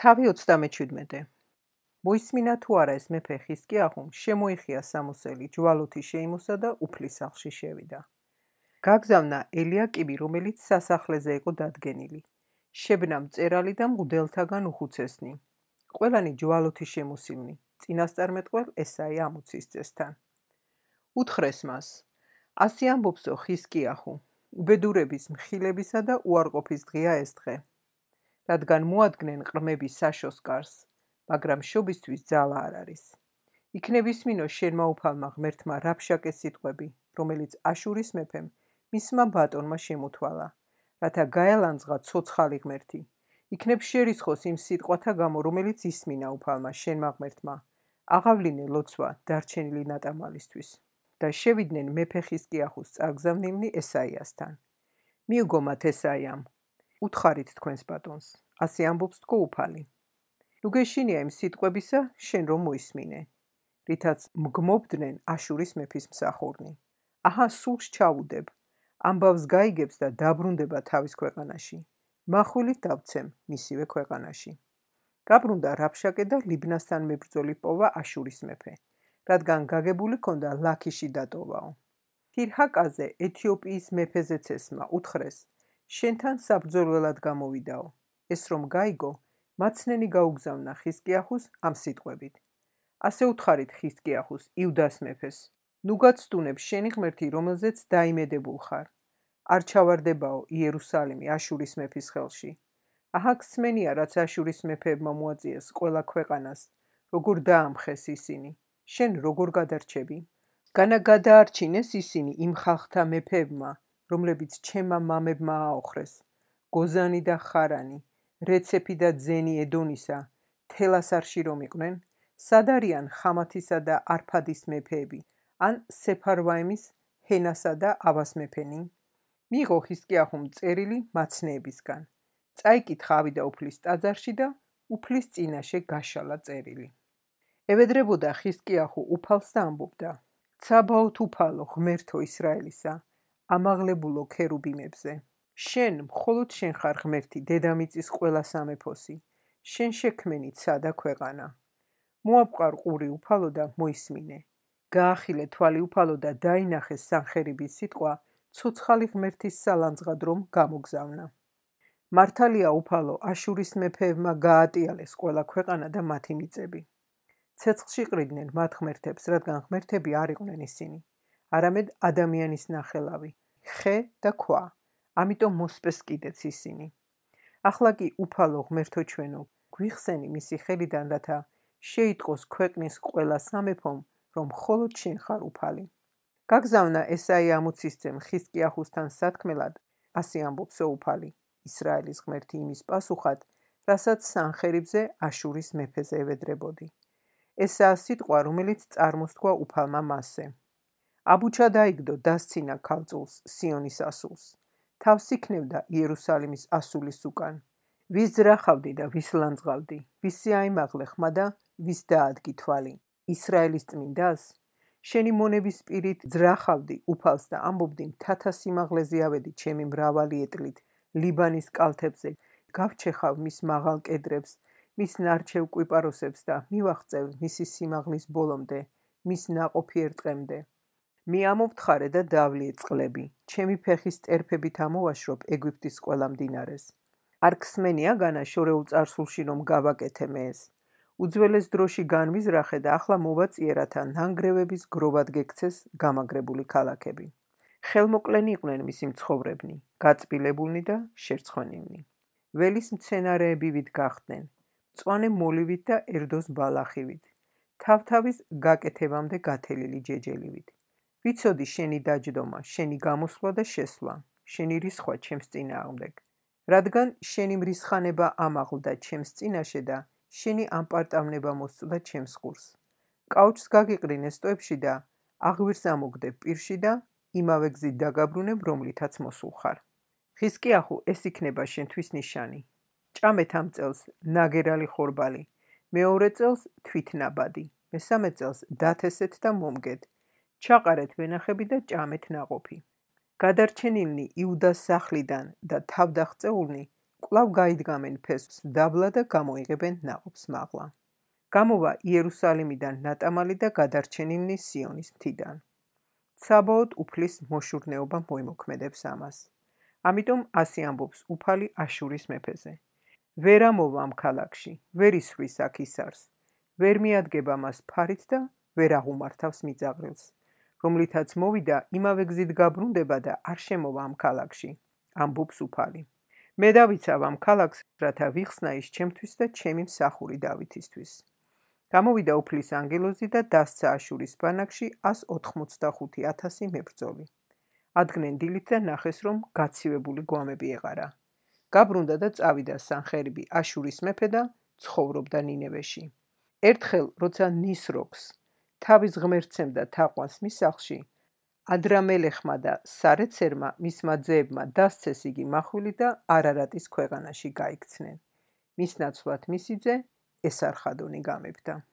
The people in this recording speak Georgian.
თავი 37. მოისმინა თუ არა ეს მეფე ხიზკიაჰუმ, შემოიხია სამოსელი, ჯვალოთი შეიმოსა და უფლის სახლში შევიდა. გაგზავნა ელიაკიმი, რომელიც სასახლეზე იყო დადგენილი. შებნა მწერალი და მღვდელთაგან უხუცესნი. ყველანი ჯვალოთი შემოსილნი, წინასწარმეტყველ ესაია ამოცისწესთან. უთხრეს მას, ასე ამბობსო ხიზკიაჰუ, უბედურების, მხილებისა და უარყოფის დღეა ეს დღე. რადგან მოადგნენ ყრმები საშოს კარს, მაგრამ შობისთვის ძალა არ არის. იქნებ ისმინო შენმა უფალმა ღმერთმა რაბშაკეს სიტყვები, რომელიც აშურის მეფემ მისმა ბატონმა შემოთვალა, რათა გაელანძღა ცოცხალი ღმერთი. იქნებ შერისხოს იმ სიტყვათა გამო, რომელიც ისმინა უფალმა შენმა ღმერთმა, აღავლინე ლოცვა დარჩენილი ნატამალისთვის. და შევიდნენ მეფე ხიზკიაჰუს წარგზავნილნი ესაიასთან. მიუგო მათ ესაიამ, უთხარით თქვენს ბატონს, ასე ამბობს თქო უფალი. ნუ გეშინია იმ სიტყვებისა, შენ რომ მოისმინე, რითაც მგმობდნენ აშურის მეფის მსახურნი. აჰა, სულს ჩავუდებ, ამბავს გაიგებს და დაბრუნდება თავის ქვეყანაში. მახვილით დავცემ მისივე ქვეყანაში. გაბრუნდა რაბშაკე და ლიბნასთან მებრძოლი პოვა აშურის მეფე, რადგან გაგებული ქონდა ლაქიში დატოვაო. თირჰაკაზე ეთიოპიის მეფეზეც ესმა უთხრეს, შენთან საბრძოლველად გამოვიდაო. ეს რომ გაიგო, მაცნენი გაუგზავნა ხიზკიაჰუს ამ სიტყვებით. ასე უთხარით ხიზკიაჰუს, იუდას მეფეს, ნუ გაცდუნებ შენი ღმერთი, რომელზეც დაიმედებულ ხარ. არ ჩავარდებაო იერუსალიმი აშურის მეფის ხელში. აჰა, გსმენია, რაც აშურის მეფეებმა მოაწიეს ყველა ქვეყანას, როგორ დაამხეს ისინი. შენ როგორ გადარჩები? განა გადაარჩინეს ისინი იმ ხალხთა მეფეებმა, რომლებიც ჩემმა მამებმა აოხრეს. გოზანი და ხარანი, რეცეფი და ძენი ედონისა, თელას არში რომ იყვნენ, სად არიან ხამათისა და არფადის მეფეები, ან სეფარვაიმის, ჰენასა და ავას მეფენი? მიიღო ხიზკიაჰუმ წერილი მაცნეებისგან. წაიკითხა ავიდა უფლის ტაძარში და უფლის წინაშე გაშალა წერილი. ევედრებოდა ხიზკიაჰუ უფალს და ამბობდა, ცაბაოთ უფალო, ღმერთო ისრაელისა, ამაღლებულო ქერუბიმებზე. შენ, მხოლოდ შენ ხარ ღმერთი, დედამიწის ყველა სამეფოსი, შენ შექმენი ცადა ქვეყანა. მოაპყარ ყური უფალო და მოისმინე. გაახილე თვალი უფალო და დაინახეს სანხერიბის სიტყვა, ცოცხალი ღმერთის სალანძღად რომ გამოგზავნა. მართალია უფალო, აშურის მეფეებმა გაატიალეს ყველა ქვეყანა და მათი მიწები. ცეცხლში ყრიდნენ მათ ღმერთებს, რადგან ღმერთები არ იყვნენ ისინი, არამედ ადამიანის ნახელავი, ხე და ქვა, ამიტომ მოსპეს კიდეც ისინი. ახლა კი უფალო ღმერთო ჩვენო, გვიხსენი მისი ხელიდან, რათა შეიტყოს ქვეყნის ყველა სამეფომ, რომ მხოლოდ შენ ხარ უფალი. გაგზავნა ესაია ამოცისძემ ხიზკიაჰუსთან სათქმელად, ასე ამბობსო უფალი, ისრაელის ღმერთი იმის პასუხად, რასაც სანხერიბზე აშურის მეფეზე ევედრებოდი. ესაა სიტყვა, რომელიც წარმოსთქვა უფალმა მასზე. აბუჩა დაიგდო დასცინა ქალწულს, სიონის ასულს. თავს იქნევდა იერუსალიმის ასულის უკან. ვის ძრახავდი და ვის ლანძღავდი, ვისი აიმაღლე ხმა და ვის დაადგი თვალი. ისრაელის წმინდას? შენი მონების პირით ძრახავდი უფალს და ამბობდი, მთათა სიმაღლეზე ავედი ჩემი მრავალი ეტლით, ლიბანის კალთებზე, გავჩეხავ მის მაღალ კედრებს, მის ნარჩევ კვიპაროსებს და მივაღწევ მისი სიმაღლის ბოლომდე, მის ნაყოფი ერტყემდე. მიამოვთხარე და დავლიე წყლები, ჩემი ფეხის ტერფებით ამოვაშრობ ეგვიპტის ყველა მდინარეს. არ გსმენია განა შორეულ წარსულში რომ გავაკეთე მე ეს. უძველეს დროში განვიზრახე და ახლა მოვაწიე, რათა ნანგრევების გროვად გექცეს გამაგრებული ქალაქები. ხელმოკლენი იყვნენ მისი მცხოვრებნი, გაწბილებულნი და შერცხვენილნი. ველის მცენარეები ვით გახდნენ, მწვანე მოლივით და ერდოს ბალახივით, თავთავის გაკეთებამდე გათელილი ჯეჯელივით. ვიცოდი შენი დაჯდომა, შენი გამოსვლა და შესვლა, შენი რისხვა ჩემს წინააღმდეგ. რადგან შენი მრისხანება ამაღლდა ჩემს წინაშე და შენი ამპარტავნება მოსწოდა ჩემს ხურს. კაუჩს გაგიყრინე სტოებში და აღვირს ამოგდებ პირში და იმავე გზით დაგაბრუნებ, რომლითაც მოსულ ხარ. ხიზკიაჰუ, ეს იქნება შენთვის ნიშანი. ჭამეთ ამ წელს ნაგერალი ხორბალი, მეორე წელს თვითნაბადი, მესამე წელს დათესეთ და მომგეთ. ჩაყარეთ ვენახები და ჭამეთ ნაყოფი. გადარჩენილნი იუდას სახლიდან და თავდაღწეულნი კვლავ გაიდგამენ ფესვს დაბლა და გამოიღებენ ნაყოფს მაღლა. გამოვა იერუსალიმიდან ნატამალი და გადარჩენილნი სიონის მთიდან. საბოლოოდ უფლის მოშურნეობა მოიმოქმედებს ამას. ამიტომ ასე ამბობს უფალი აშურის მეფეზე. ვერ ამოვა ამ ქალაქში, ვერ ისვრის აქ ისარს, ვერ მიადგება მას ფარით და ვერ აღუმართავს მიწაყრილს, რომლითაც მოვიდა იმავე გზით გაბრუნდება და არ შემოვა ამ ქალაქში, ამბობს უფალი. მე დავიცავ ამ ქალაქს, რათა ვიხსნა ის ჩემთვის და ჩემი მსახური დავითისთვის. გამოვიდა უფლის ანგელოზი და დასცა აშურის ბანაკში 185,000 მებრძოლი. ადგნენ დილით და ნახეს, რომ გაცივებული გვამები ეყარა. გაბრუნდა და წავიდა სანხერიბი აშურის მეფე და ცხოვრობდა ნინევეში. ერთხელ, როცა ნისროქს თავის ღმერთცემ და თაყვანს მის სახლში, ადრამელეხმა და სარეცერმა მისმა ძეებმა დასცეს იგი მახვილი და არარატის ქვეყანაში გაიქცნენ. მის ნაცვლად მისი ძე ესარხადონი გამებდა.